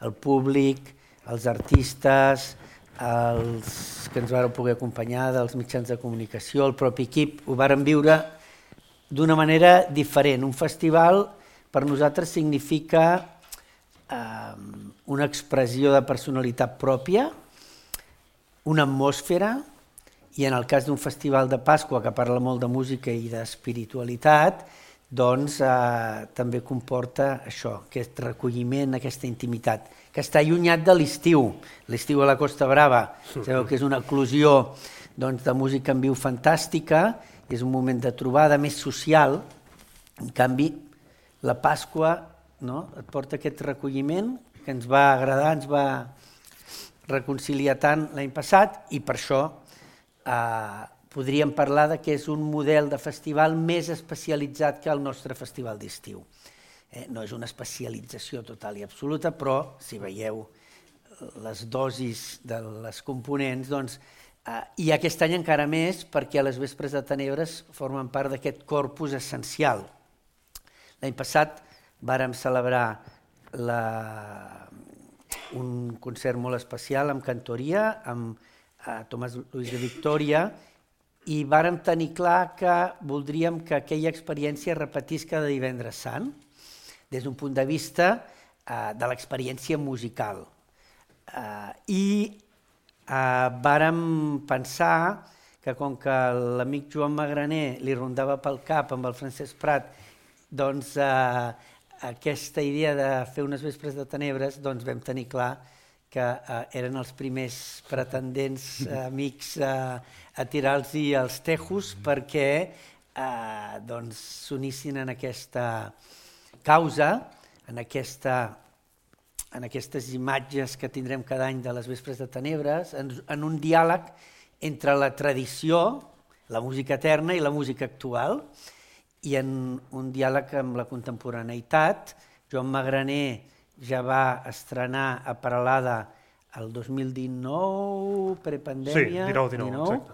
el públic, els artistes, els que ens varen poder acompanyar, dels mitjans de comunicació, el propi equip, ho varen viure d'una manera diferent. Un festival per nosaltres significa una expressió de personalitat pròpia, una atmosfera, i en el cas d'un festival de Pasqua que parla molt de música i d'espiritualitat, doncs també comporta això, aquest recolliment, aquesta intimitat, que està allunyat de l'estiu. L'estiu a la Costa Brava, sabeu que és una eclosió de música en viu fantàstica, és un moment de trobada més social. En canvi, la Pasqua et porta aquest recolliment que ens va agradar, ens va reconciliar tant l'any passat, i per això podríem parlar que és un model de festival més especialitzat que el nostre festival d'estiu. No és una especialització total i absoluta, però si veieu les dosis de les components, doncs, i aquest any encara més perquè les Vespres de Tenebres formen part d'aquest corpus essencial. L'any passat vàrem celebrar un concert molt especial amb cantoria, amb Tomàs Lluís de Victòria, i vàrem tenir clar que voldríem que aquella experiència es repetís cada Divendres Sant, des d'un punt de vista de l'experiència musical. I vàrem pensar que com que l'amic Joan Magraner li rondava pel cap amb el Francesc Prat, doncs aquesta idea de fer unes Vespres de Tenebres, doncs vam tenir clar que eren els primers pretendents amics a tirar-los els tejos perquè s'unissin en aquesta causa, en aquestes imatges que tindrem cada any de les Vespres de Tenebres, en un diàleg entre la tradició, la música eterna i la música actual, i en un diàleg amb la contemporaneïtat. Joan Magraner ja va estrenar a Peralada el 2019, prepandèmia. Sí, 19, exacte.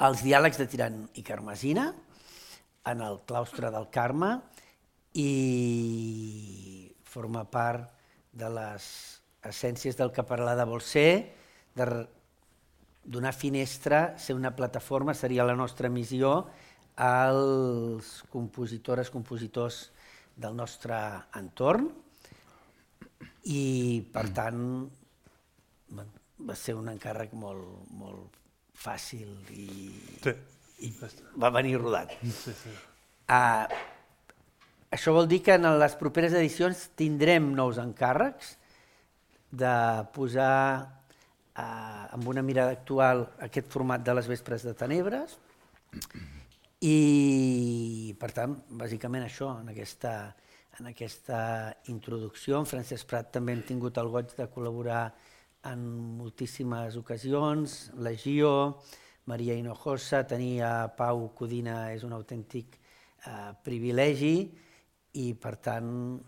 Els diàlegs de Tirant i Carmesina, en el claustre del Carme, i forma part de les essències del que Peralada vol ser, de donar finestra, ser una plataforma, seria la nostra missió, als compositores, compositors del nostre entorn, i per tant va ser un encàrrec molt fàcil i va venir rodat. Això vol dir que en les properes edicions tindrem nous encàrrecs de posar amb una mirada actual aquest format de les Vespres de Tenebres, i per tant, bàsicament això, en aquesta introducció. En Francesc Prat també hem tingut el goig de col·laborar en moltíssimes ocasions, la Gio, Maria Hinojosa, tenir a Pau Codina és un autèntic privilegi, i per tant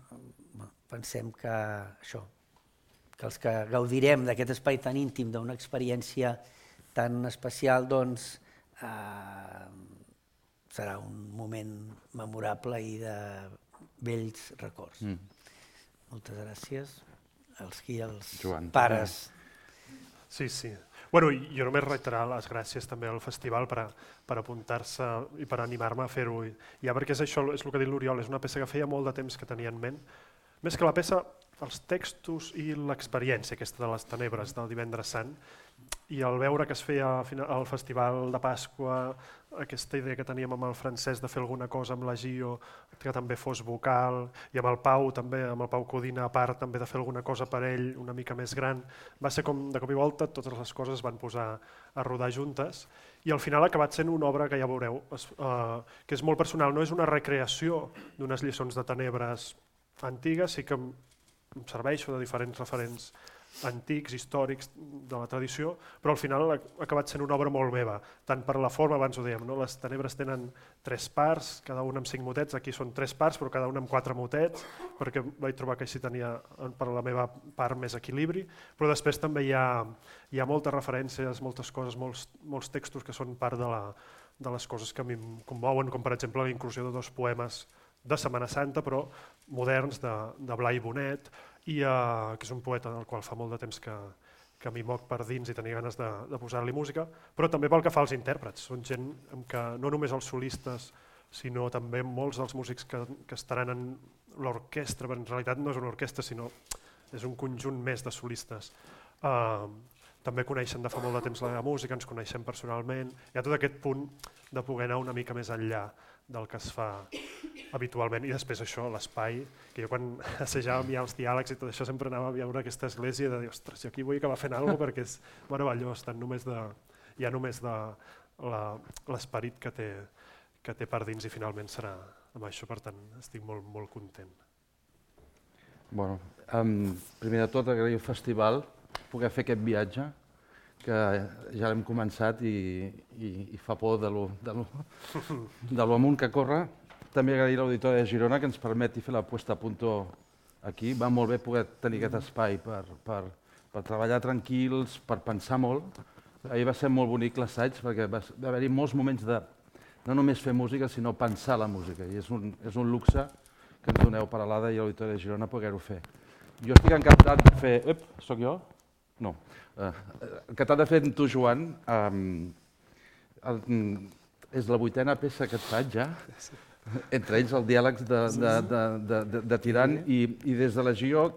pensem que això, que els que gaudirem d'aquest espai tan íntim, d'una experiència tan especial, doncs serà un moment memorable i de vells records. Moltes gràcies als pares. Sí. Bueno, jo només reiterar les gràcies també al festival per apuntar-se i per animar-me a fer-ho. Ja perquè és això, és el que ha dit l'Oriol, és una peça que feia molt de temps que tenia en ment. Més que la peça, els textos i l'experiència aquesta de les tenebres del Divendres Sant, i al veure que es feia al Festival de Pasqua, aquesta idea que teníem amb el Francesc de fer alguna cosa amb la Gio, que també fos vocal, i amb el Pau també, amb el Pau Codina a part també de fer alguna cosa per ell una mica més gran, va ser com de cop i volta totes les coses es van posar a rodar juntes, i al final ha acabat sent una obra que ja veureu, que és molt personal, no és una recreació d'unes lliçons de tenebres antigues, sí que em serveixo de diferents referents antics, històrics de la tradició, però al final ha acabat sent una obra molt meva, tant per la forma, abans ho dèiem, no? Les tenebres tenen 3 parts, cada una amb 5 motets, aquí són 3 parts però cada una amb 4 motets, perquè vaig trobar que així tenia per la meva part més equilibri, però després també hi ha moltes referències, moltes coses, molts textos que són part de les coses que a mi em commouen, com per exemple la inclusió de 2 poemes de Setmana Santa, però moderns, de Blai Bonet, que és un poeta del qual fa molt de temps que m'hi moc per dins i tenia ganes de posar-li música, però també pel que fa als intèrprets. Són gent que no només els solistes, sinó també molts dels músics que estaran en l'orquestra, però en realitat no és una orquestra, sinó és un conjunt més de solistes. També coneixen de fa molt de temps la meva música, ens coneixem personalment. Hi ha tot aquest punt de poder anar una mica més enllà del que es fa habitualment. I després això, l'espai, que jo quan assajàvem ja els diàlegs i tot això sempre anava a veure aquesta església i de dir, ostres, jo aquí vull acabar fent alguna cosa perquè és meravellós, ja només de l'esperit que té per dins i finalment serà amb això, per tant estic molt, molt content. Bueno, primer de tot agrair al festival poder fer aquest viatge, que ja l'hem començat i fa por de lo amunt que corre. També agrair a l'Auditori de Girona que ens permeti fer la puesta a punt aquí. Va molt bé poder tenir aquest espai per treballar tranquils, per pensar molt. Ahir va ser molt bonic l'assaig perquè va haver-hi molts moments de no només fer música, sinó pensar la música. I és un luxe que ens doneu per a l'Ada i a l'Auditori de Girona poder-ho fer. Jo estic encantat de fer... Soc jo? No. Encantat de fer amb tu, Joan. És la 8a peça que et faig ja. Entre ells el diàleg de Tirant i des de la GIO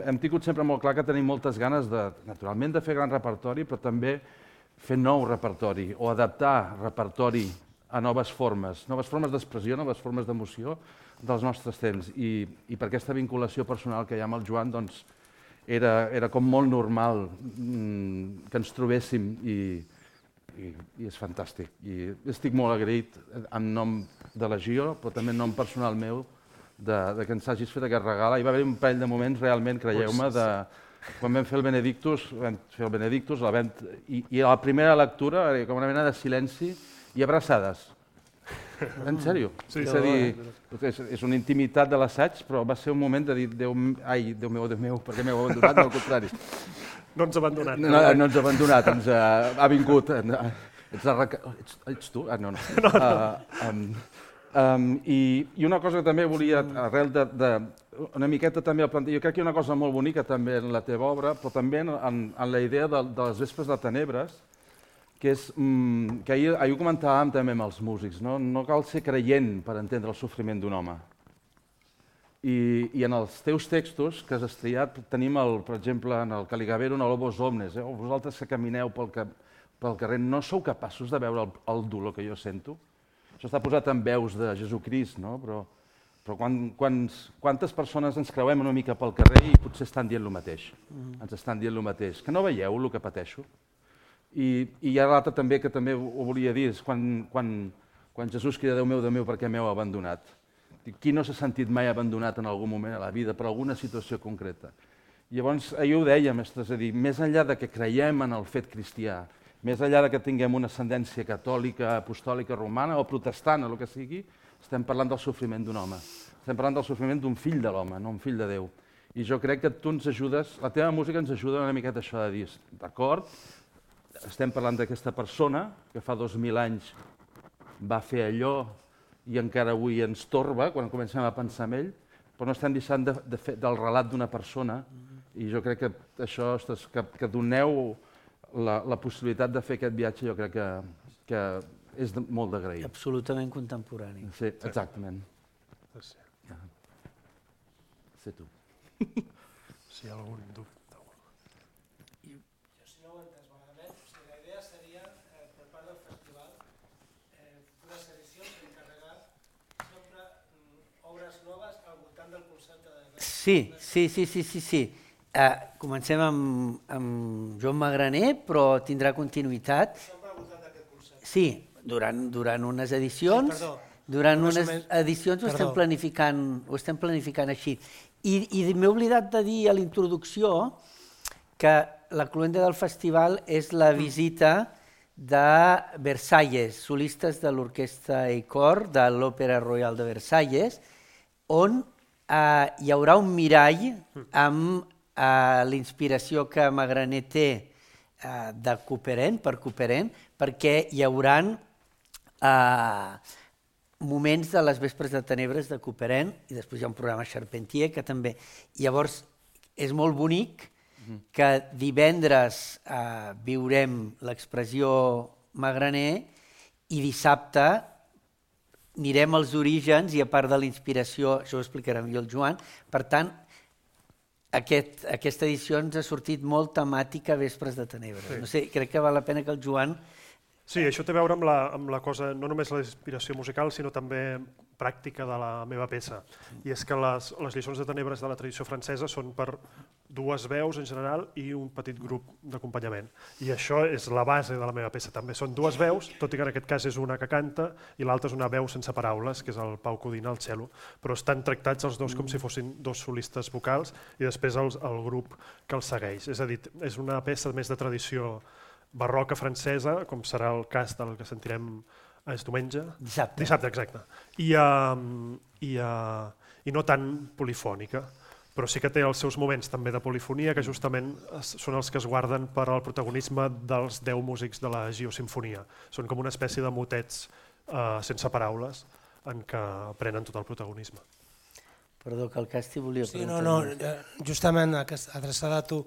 hem tingut sempre molt clar que tenim moltes ganes naturalment de fer gran repertori, però també fer nou repertori o adaptar repertori a noves formes d'expressió, noves formes d'emoció dels nostres temps. I per aquesta vinculació personal que hi ha amb el Joan, doncs, era com molt normal que ens trobéssim i és fantàstic. I estic molt agraït en nom de la GIO, però també en nom personal meu, que ens hagis fet aquest regal. Hi va haver un parell de moments, realment, creieu-me, quan vam fer el Benedictus, i a la primera lectura, com una mena de silenci i abraçades. En sèrio. És a dir, és una intimitat de l'assaig, però va ser un moment de dir, Déu meu, per què m'heu abandonat? No, al contrari. No ens ha abandonat. No ens ha abandonat, ens ha vingut. Ets tu? No. I una cosa que també volia, arrel una miqueta també, jo crec que hi ha una cosa molt bonica també en la teva obra, però també en la idea de les vespres de tenebres, que és que ahir ho comentàvem també amb els músics, no cal ser creient per entendre el sofriment d'un home. I en els teus textos que has estriat tenim, per exemple, en el Caligabero, en el Lobos Omnes, vosaltres que camineu pel carrer no sou capaços de veure el dolor que jo sento? Això està posat en veus de Jesucrist, no? Però quantes persones ens creuem una mica pel carrer i potser estan dient el mateix? Ens estan dient el mateix. Que no veieu el que pateixo? I hi ha l'altre també que també ho volia dir, és quan Jesús crida Déu meu, per què m'heu abandonat? Qui no s'ha sentit mai abandonat en algun moment a la vida per alguna situació concreta? Llavors, ahir ho dèiem, és a dir, més enllà de que creiem en el fet cristià, més enllà de que tinguem una ascendència catòlica, apostòlica, romana o protestant, o el que sigui, estem parlant del sofriment d'un home. Estem parlant del sofriment d'un fill de l'home, no un fill de Déu. I jo crec que tu ens ajudes, la teva música ens ajuda una miqueta això de dir, d'acord, estem parlant d'aquesta persona que fa 2000 anys va fer allò i encara avui ens torba quan comencem a pensar en ell, però no estem deixant de fer del relat d'una persona i jo crec que això, que doneu la possibilitat de fer aquest viatge, jo crec que és molt d'agrair. Absolutament contemporani. Sí, exactament. Sé tu. Si hi ha algun dubte. Sí. Comencem amb Joan Magraner, però tindrà continuïtat. Sí, durant unes edicions. Durant unes edicions ho estem planificant així. I m'he oblidat de dir a la introducció que la cloenda del festival és la visita de Versalles, solistes de l'Orquestra i Cor de l'Òpera Royal de Versalles, on hi haurà un mirall amb la inspiració que Magraner té per Couperin, perquè hi haurà moments de les vespres de tenebres de Couperin i després hi ha un programa Charpentier que també. Llavors, és molt bonic que divendres viurem l'expressió Magraner i dissabte anirem als orígens i a part de la inspiració, això ho explicarà millor el Joan, per tant, aquesta edició ens ha sortit molt temàtica Vespres de Tenebres. No sé, crec que val la pena que el Joan... Sí, això té a veure amb la cosa, no només la inspiració musical, sinó també pràctica de la meva peça. I és que les lliçons de tenebres de la tradició francesa són per dues veus en general i un petit grup d'acompanyament. I això és la base de la meva peça. També són dues veus, tot i que en aquest cas és una que canta i l'altra és una veu sense paraules, que és el Pau Codina al cello. Però estan tractats els dos com si fossin dos solistes vocals i després el grup que els segueix. És a dir, és una peça més de tradició barroca francesa, com serà el cas del que sentirem és diumenge? Dissabte. Dissabte, exacte. I no tan polifònica, però sí que té els seus moments també de polifonia, que justament són els que es guarden per al protagonisme dels 10 músics de la Geosimfonia. Són com una espècie de motets sense paraules en què prenen tot el protagonisme. Perdó, que el Casti volia preguntar. Sí, no, justament adreçada a tu,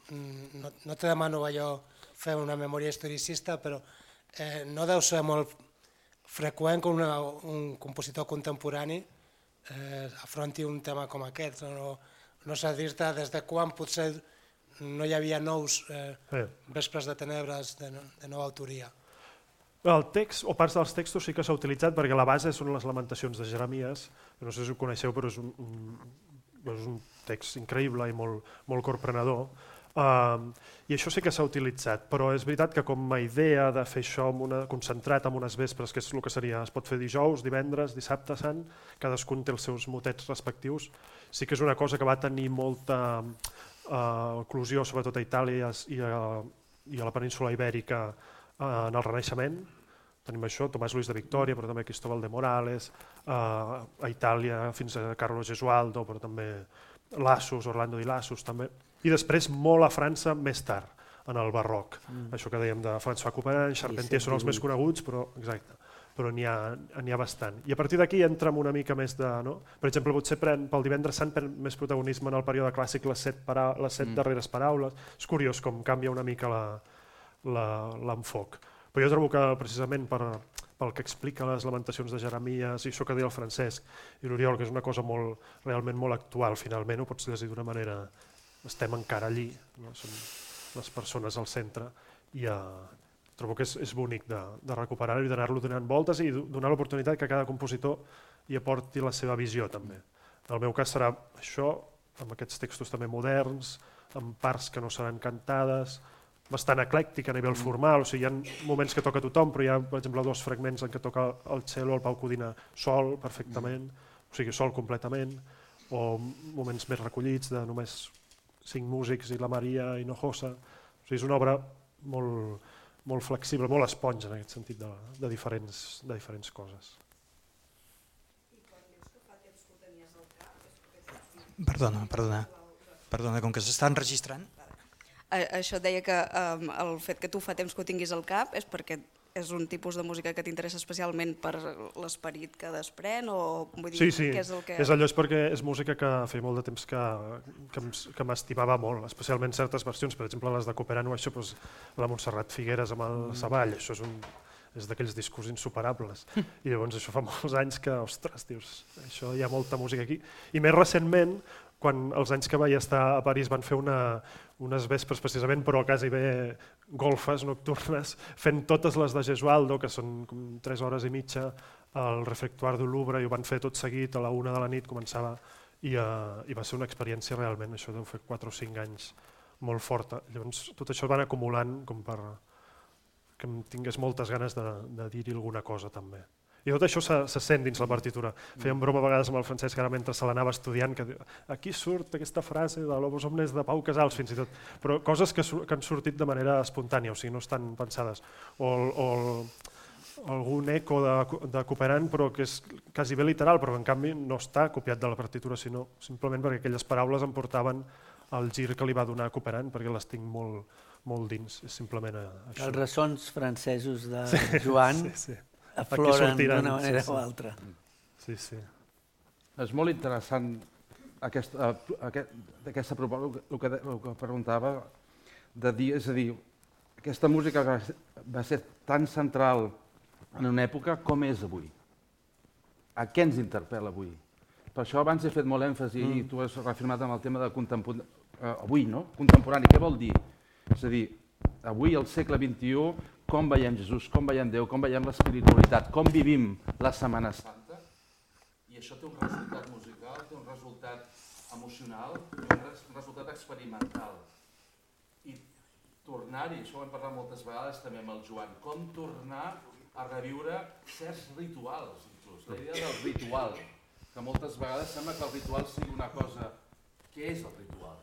no te demano allò fer una memòria historicista, però no deu ser molt freqüent que un compositor contemporani afronti un tema com aquest. No sé dir-te des de quan potser no hi havia nous Vespres de Tenebres de nova autoria. El text, o parts dels textos sí que s'ha utilitzat perquè la base són les lamentacions de Jeremies, no sé si ho coneixeu, però és un text increïble i molt corprenedor. I això sí que s'ha utilitzat, però és veritat que com a idea de fer això concentrat en unes vespres, que és el que seria, es pot fer dijous, divendres, dissabte sant, cadascun té els seus motets respectius, sí que és una cosa que va tenir molta eclosió, sobretot a Itàlia i a la península Ibèrica en el Renaixement. Tenim això, Tomàs Luis de Victòria, però també Cristóbal de Morales, a Itàlia fins a Carlo Gesualdo, però també Lassus, Orlando di Lassus també. I després molt a França més tard, en el barroc. Això que dèiem de François Couperin, Charpentier són els més coneguts, però n'hi ha bastant. I a partir d'aquí entra una mica més de... Per exemple, potser pel divendres sant pren més protagonisme en el període clàssic les set darreres paraules. És curiós com canvia una mica l'enfoc. Però jo trobo que precisament pel que explica les lamentacions de Jeremies i això que deia el Francesc i l'Oriol, que és una cosa realment molt actual, finalment ho pots llegir d'una manera... Estem encara allí, són les persones al centre i trobo que és bonic de recuperar-ho i d'anar-lo donant voltes i donar l'oportunitat que cada compositor hi aporti la seva visió també. En el meu cas serà això, amb aquests textos també moderns, amb parts que no seran cantades, bastant eclèctic a nivell formal, o sigui, hi ha moments que toca tothom, però hi ha, per exemple, 2 fragments en què toca el cello, el Pau Codina sol perfectament, o sigui, sol completament, o moments més recollits de només 5 músics i la Maria Hinojosa. O sigui, és una obra molt flexible, molt esponja en aquest sentit de diferents coses. I quan dius que fa temps que ho tenies al cap... Perdona, com que s'estan enregistrant... Això et deia que el fet que tu fa temps que ho tinguis al cap és perquè és un tipus de música que t'interessa especialment per l'esperit que desprèn o vull dir, sí, què és el que... és allò, és perquè és música que feia molt de temps que m'estimava molt, especialment certes versions, per exemple les de Couperin o això, doncs, la Montserrat Figueres amb el Savall, això és d'aquells discos insuperables. I llavors això fa molts anys que, ostres, dius, això hi ha molta música aquí. I més recentment, quan els anys que vaig estar a París van fer unes vespres precisament, però quasi bé golfes nocturnes, fent totes les de Gesualdo, que són 3 hores i mitja, al Refectoire du Louvre, i ho van fer tot seguit, a la 1 de la nit començava, i va ser una experiència realment, això deu fer 4 o 5 anys, molt forta. Llavors tot això van acumulant com per que em tingués moltes ganes de dir-hi alguna cosa també. I tot això se sent dins la partitura. Fèiem broma a vegades amb el Francesc, ara mentre se l'anava estudiant, que aquí surt aquesta frase de Lobos Omnes de Pau Casals, fins i tot, però coses que han sortit de manera espontània, o sigui, no estan pensades. O algun eco de Couperin, però que és quasi bé literal, però en canvi no està copiat de la partitura, sinó simplement perquè aquelles paraules em portaven al gir que li va donar Couperin, perquè les tinc molt dins, és simplement això. Els ressons francesos de Joan... Sí. afloren d'una manera o altra. Sí. És molt interessant d'aquesta proposta, el que preguntava, de dir, és a dir, aquesta música va ser tan central en una època com és avui. A què ens interpel·la avui? Per això abans he fet molt èmfasi i tu has reafirmat amb el tema de avui, no? Contemporani, què vol dir? És a dir, avui, al segle XXI, com veiem Jesús, com veiem Déu, com veiem l'espiritualitat, com vivim la Setmana Santa, i això té un resultat musical, té un resultat emocional, té un resultat experimental. I tornar-hi, això ho hem parlat moltes vegades també amb el Joan, com tornar a reviure certs rituals, inclús. La idea del ritual, que moltes vegades sembla que el ritual sigui una cosa... Què és el ritual?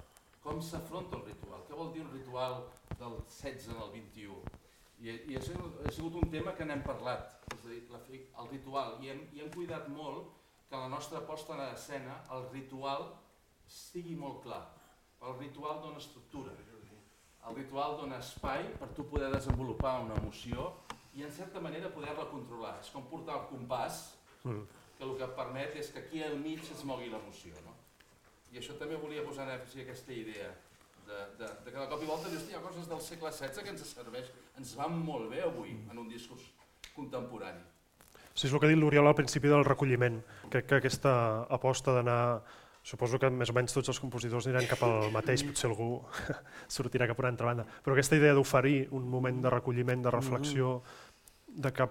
Com s'afronta el ritual? Què vol dir un ritual del 16 al 21? I ha sigut un tema que n'hem parlat, és a dir, el ritual, i hem cuidat molt que la nostra posta en escena, el ritual, sigui molt clar. El ritual dona estructura, el ritual dona espai per tu poder desenvolupar una emoció i en certa manera poder-la controlar. És com portar el compàs, que el que permet és que aquí al mig es mogui l'emoció. I això també volia posar en èmfasi aquesta idea, de que de cop i volta dius, hi ha coses del segle XVI que ens serveix, ens van molt bé avui en un discurs contemporani. Sí, és el que ha dit l'Oriol al principi del recolliment. Crec que aquesta aposta d'anar... Suposo que més o menys tots els compositors aniran cap al mateix, potser algú sortirà cap a una altra banda, però aquesta idea d'oferir un moment de recolliment, de reflexió, de que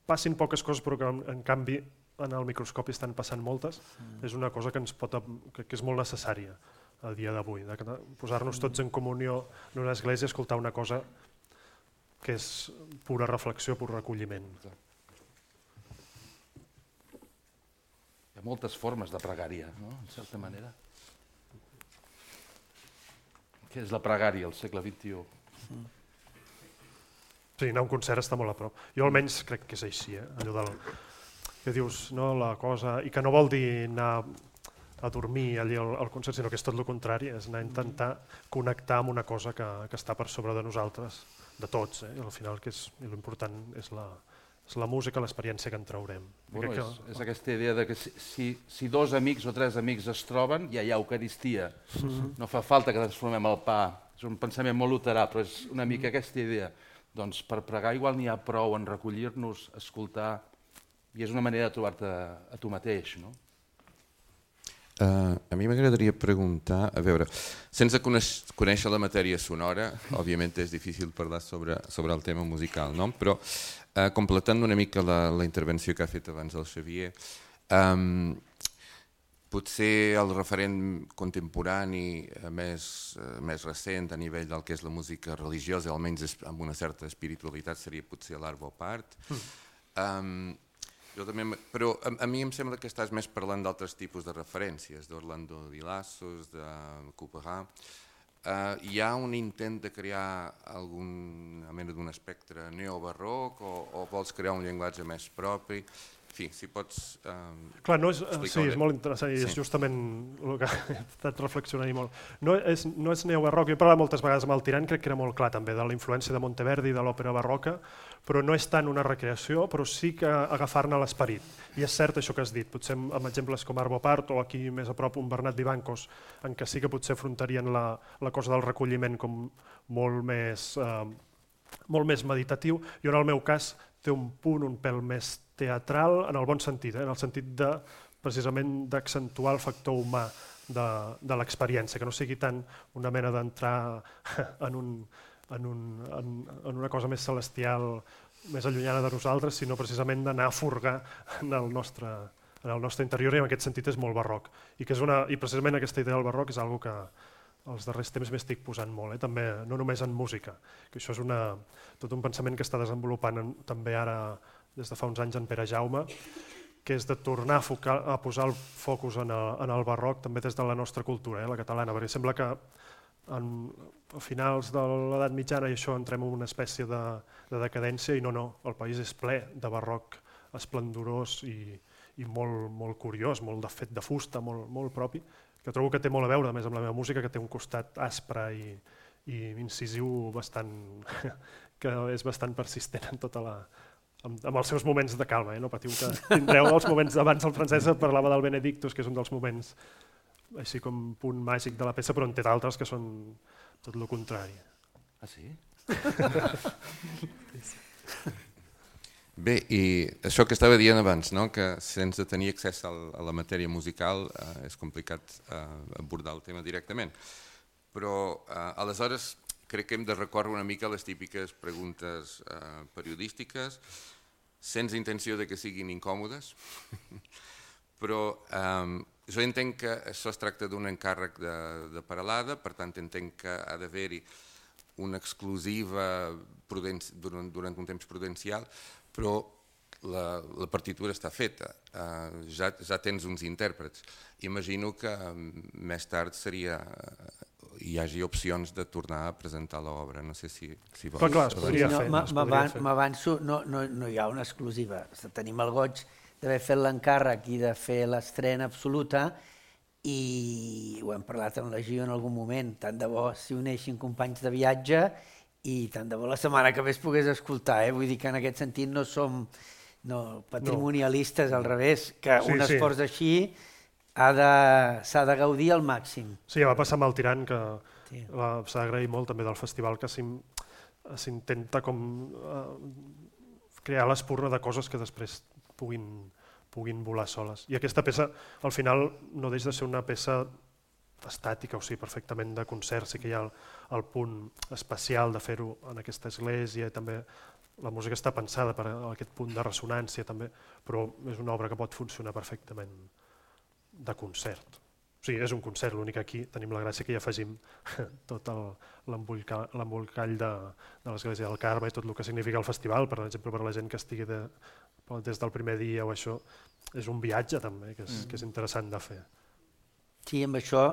passin poques coses però que en canvi en el microscopi estan passant moltes, és una cosa que és molt necessària a dia d'avui, de posar-nos tots en comunió en una església i escoltar una cosa que és pura reflexió, pur recolliment. Hi ha moltes formes de pregària, no? En certa manera. Què és la pregària al segle XXI? Sí, anar a un concert està molt a prop. Jo almenys crec que és així, allò del que dius, no, la cosa... I que no vol dir anar a dormir allà al concert, sinó que és tot el contrari, és anar a intentar connectar amb una cosa que està per sobre de nosaltres, de tots, i al final l'important és la música, l'experiència que en traurem. Bueno, és aquesta idea de que si dos amics o tres amics es troben, ja hi ha Eucaristia. No fa falta que transformem el pa. És un pensament molt luterà, però és una mica aquesta idea. Doncs per pregar igual n'hi ha prou en recollir-nos, escoltar, i és una manera de trobar-te a tu mateix, no? A mi m'agradaria preguntar, a veure, sense conèixer la matèria sonora, òbviament és difícil parlar sobre el tema musical, no? Però completant una mica la intervenció que ha fet abans el Xavier, potser el referent contemporani més recent a nivell del que és la música religiosa, almenys amb una certa espiritualitat, seria potser l'Arvo Pärt. Però a mi em sembla que estàs més parlant d'altres tipus de referències, d'Orlando Di Lassos, de Couperin. Hi ha un intent de crear alguna mena d'un espectre neobarroc o vols crear un llenguatge més propi? En fi, si pots Clar, sí, és molt interessant i és justament el que he estat reflexionant molt. No és neobarroc, jo he parlat moltes vegades amb el Tirant, crec que era molt clar també, de la influència de Monteverdi i de l'òpera barroca, però no és tant una recreació, però sí que agafar-ne l'esperit. I és cert això que has dit, potser amb exemples com Arvo Pärt o aquí més a prop un Bernat Vivancos, en què sí que potser afrontarien la cosa del recolliment com molt més meditatiu, i en el meu cas té un punt un pèl més teatral en el bon sentit, en el sentit de precisament d'accentuar el factor humà de l'experiència, que no sigui tant una mena d'entrar en una cosa més celestial, més allunyada de nosaltres, sinó precisament d'anar a furgar en el nostre interior, i en aquest sentit és molt barroc. I precisament aquesta idea del barroc és una que els darrers temps m'estic posant molt, també no només en música, que això és tot un pensament que està desenvolupant també ara des de fa uns anys en Pere Jaume, que és de tornar a posar el focus en el barroc també des de la nostra cultura, la catalana, perquè sembla que a finals de l'edat mitjana i això entrem en una espècie de decadència i no, el país és ple de barroc esplendorós i molt curiós, molt de fet de fusta, molt propi, que trobo que té molt a veure més amb la meva música, que té un costat aspre i incisiu que és bastant persistent amb els seus moments de calma. No patiu que tindreu els moments abans el Francesc parlava del Benedictus, que és un dels moments així com punt màgic de la peça, però en té d'altres que són tot el contrari. Ah, sí? Bé, i això que estava dient abans, no? Que sense tenir accés a la matèria musical és complicat abordar el tema directament. Però aleshores crec que hem de recórrer una mica a les típiques preguntes periodístiques, sense intenció de que siguin incòmodes, però jo entenc que això es tracta d'un encàrrec de Peralada, per tant entenc que ha d'haver-hi una exclusiva durant un temps prudencial, però la partitura està feta, ja tens uns intèrprets. Imagino que més tard hi hagi opcions de tornar a presentar l'obra, no sé si vols. Però clar, es podria fer. M'avanço, no hi ha una exclusiva. Tenim el goig d'haver fet l'encàrrec i de fer l'estrena absoluta i ho hem parlat amb la Gio en algun moment. Tant de bo s'hi uneixin companys de viatge i tant de bo la setmana que ve es pogués escoltar. Vull dir que en aquest sentit no som patrimonialistes, al revés, que un esforç així s'ha de gaudir al màxim. Sí, ja va passar amb el Tirant, que s'ha d'agrair molt també del festival, que s'intenta com crear l'espurna de coses que després puguin volar soles. I aquesta peça, al final, no deixa de ser una peça estàtica, o sigui, perfectament de concert. Sí que hi ha el punt especial de fer-ho en aquesta església, i també la música està pensada per aquest punt de ressonància, també, però és una obra que pot funcionar perfectament de concert. O sigui, és un concert, l'únic que aquí tenim la gràcia que hi afegim tot l'embolcall de l'Església del Carme i tot el que significa el festival, per exemple, per la gent que estigui des del primer dia o això, és un viatge també, que és interessant de fer. Sí, amb això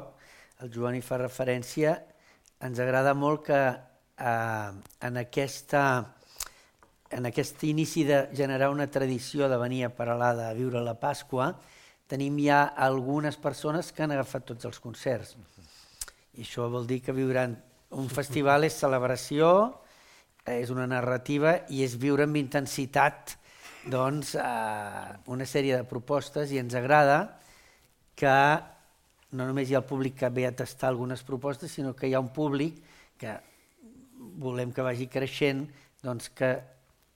el Joan hi fa referència. Ens agrada molt que en aquest inici de generar una tradició de venir a Peralada a viure la Pasqua, tenim ja algunes persones que han agafat tots els concerts. I això vol dir que viuran... Un festival és celebració, és una narrativa i és viure amb intensitat una sèrie de propostes, i ens agrada que no només hi ha el públic que ve a tastar algunes propostes, sinó que hi ha un públic que volem que vagi creixent, que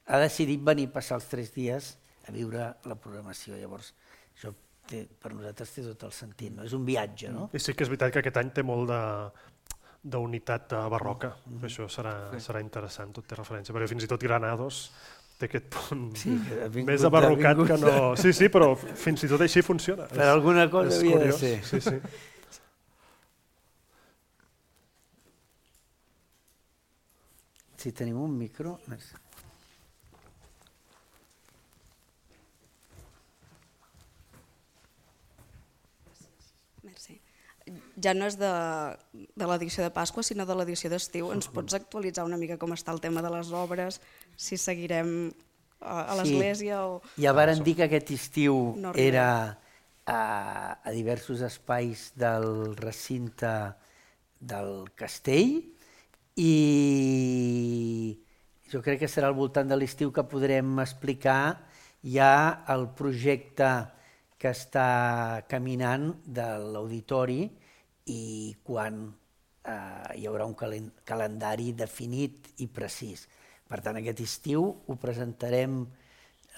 ha decidit venir a passar els 3 dies a viure la programació. Llavors, això per nosaltres té tot el sentit, és un viatge. I sí que és veritat que aquest any té molt d'unitat barroca, això serà interessant, tot té referència, perquè fins i tot Granados té aquest punt més abarrocat que no... Sí, però fins i tot així funciona. Per alguna cosa havia de ser. Sí. Si tenim un micro... Merci. Ja no és de l'edició de Pasqua, sinó de l'edició d'estiu. Ens pots actualitzar una mica com està el tema de les obres, si seguirem a l'església o... Ja varen dir que aquest estiu era a diversos espais del recinte del castell, i jo crec que serà al voltant de l'estiu que podrem explicar ja el projecte que està caminant de l'auditori i quan hi haurà un calendari definit i precís. Per tant, aquest estiu ho presentarem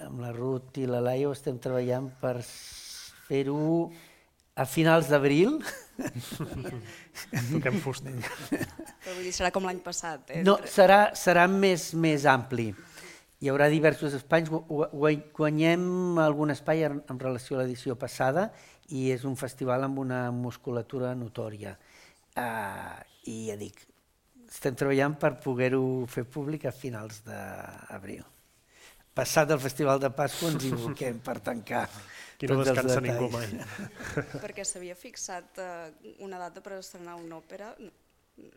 amb la Ruth i la Laia, estem treballant per fer-ho a finals d'abril. Toquem fusta. Però vull dir, serà com l'any passat. No, serà més ampli. Hi haurà diversos espais. Guanyem algun espai en relació a l'edició passada i és un festival amb una musculatura notòria. I ja dic, estem treballant per poder-ho fer públic a finals d'abril. Passat el Festival de Pasqua ens hi aboquem per tancar. Aquí no descansa ningú mai. Perquè s'havia fixat una data per estrenar una òpera,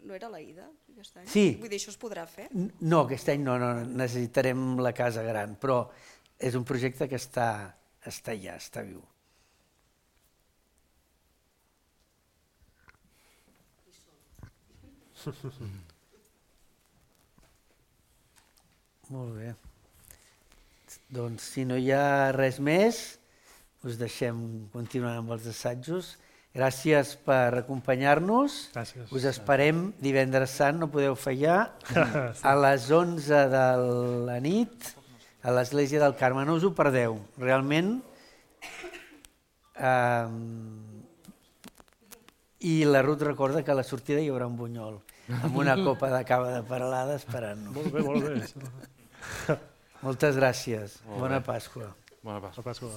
no era l'Aida aquest any? Sí. Vull dir, això es podrà fer? No, aquest any no, necessitarem la casa gran, però és un projecte que està allà, està viu. Molt bé. Doncs si no hi ha res més, us deixem continuar amb els assajos. Gràcies per acompanyar-nos. Gràcies. Us esperem divendres sant, no podeu fallar, a les 11 de la nit a l'Església del Carme. No us ho perdeu, realment. I la Ruth recorda que a la sortida hi haurà un bunyol amb una copa de cava de Peralada esperant-nos. Molt bé, molt bé. Moltes gràcies. Bona Pasqua. Bona Pasqua. Bona Pasqua.